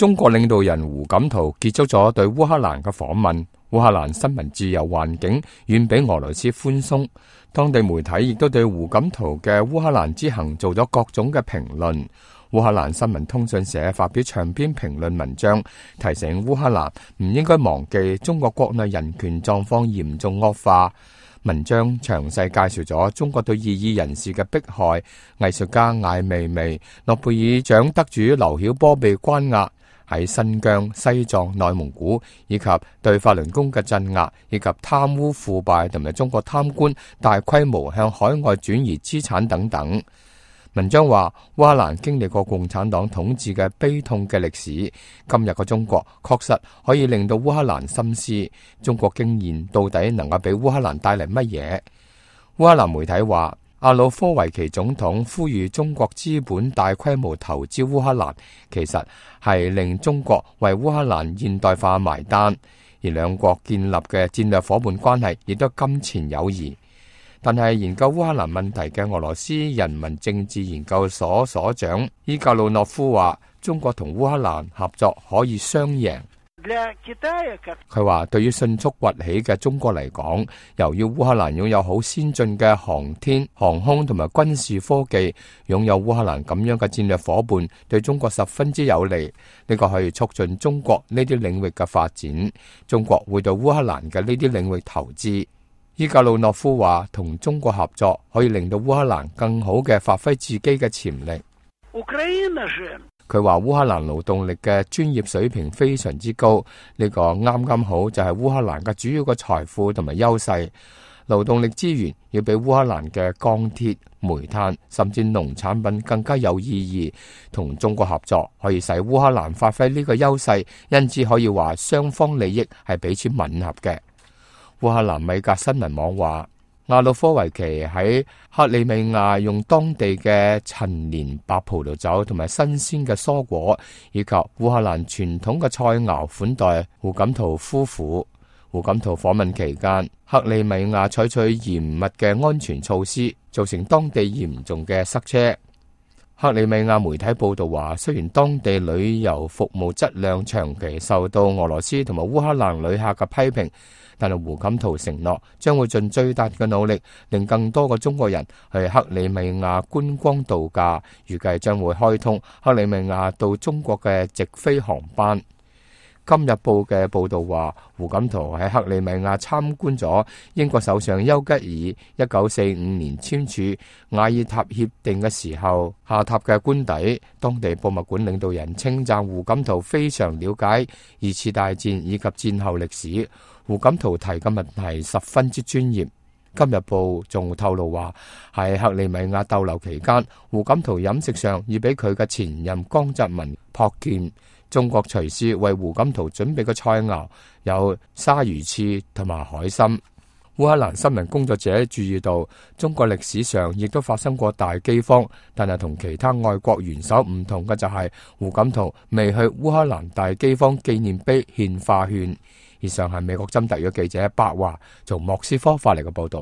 中國領導人胡錦濤結束咗對烏克蘭嘅訪問。烏克蘭新聞自由環境遠比俄羅斯寬鬆，當地媒體亦都對胡錦濤嘅烏克蘭之行做咗各種嘅評論。烏克蘭新聞通訊社發表長篇評論文章，提醒烏克蘭唔應該忘記中國國內人權狀況嚴重惡化。文章詳細介紹咗中國對異議人士嘅迫害，藝術家艾未未、諾貝爾獎得主劉曉波被關押，喺新疆、西藏、內蒙古，以及對法輪功嘅鎮壓，以及貪污腐敗同埋中國貪官大規模向海外轉移資產等等。文章話，烏克蘭經歷過共產黨統治嘅悲痛嘅歷史，今日嘅中國確實可以令到烏克蘭深思，中國經驗到底能夠俾烏克蘭帶嚟乜嘢？烏克蘭媒體話，亞努科維奇總統呼籲中國資本大規模投資烏克蘭，其實係令中國為烏克蘭現代化埋單，而兩國建立嘅戰略伙伴關係亦都金錢友誼。但係研究烏克蘭問題嘅俄羅斯人民政治研究所所長伊格魯諾夫話，中國同烏克蘭合作可以雙贏。佢話，對於迅速崛起嘅中國嚟講，由於烏克蘭擁有好先進嘅航天、航空同埋軍事科技，擁有烏克蘭咁樣嘅戰略伙伴，對中國十分之有利。呢個可以促進中國呢啲領域嘅發展。中國會對烏克蘭嘅呢啲領域投資。伊格魯諾夫話，同中國合作可以令到烏克蘭更好嘅發揮自己嘅潛力。佢話烏克蘭勞動力嘅專業水平非常之高，呢個啱啱好就係烏克蘭嘅主要嘅財富同埋優勢。勞動力資源要比烏克蘭嘅鋼鐵、煤炭甚至農產品更加有意義。同中國合作可以使烏克蘭發揮呢個優勢，因此可以話雙方利益係彼此吻合嘅。烏克蘭米格新聞網話，亞努科維奇喺克里米亞用當地嘅陳年白葡萄酒同埋新鮮嘅蔬果，以及烏克蘭傳統嘅菜肴款待胡錦濤夫婦。胡錦濤訪問期間，克里米亞採取嚴密嘅安全措施，造成當地嚴重嘅塞車。克里米亞媒體報道話，雖然當地旅遊服務質量長期受到俄羅斯同埋烏克蘭旅客嘅批評，但係胡錦濤承諾將會盡最大嘅努力，令更多嘅中國人去克里米亞觀光度假。預計將會開通克里米亞到中國嘅直飛航班。今日報嘅報道話，胡錦濤喺克里米亞參觀咗英國首相丘吉爾1945年簽署瓦爾塔協定嘅時候下榻嘅官邸。當地博物館領導人稱讚胡錦濤非常了解二次大戰以及戰後歷史。胡錦濤提嘅問題十分之專業。今日報仲透露話，喺克里米亞逗留期間，胡錦濤飲食上已俾佢嘅前任江澤民撲見。中國廚師為胡錦濤準備嘅菜肴有鯊魚翅同埋海參。烏克蘭新聞工作者注意到，中國歷史上亦都發生過大饑荒，但係同其他外國元首唔同嘅就係，胡錦濤未去烏克蘭大饑荒紀念碑獻花圈。以上係美國針特約記者白華從莫斯科發嚟嘅報道。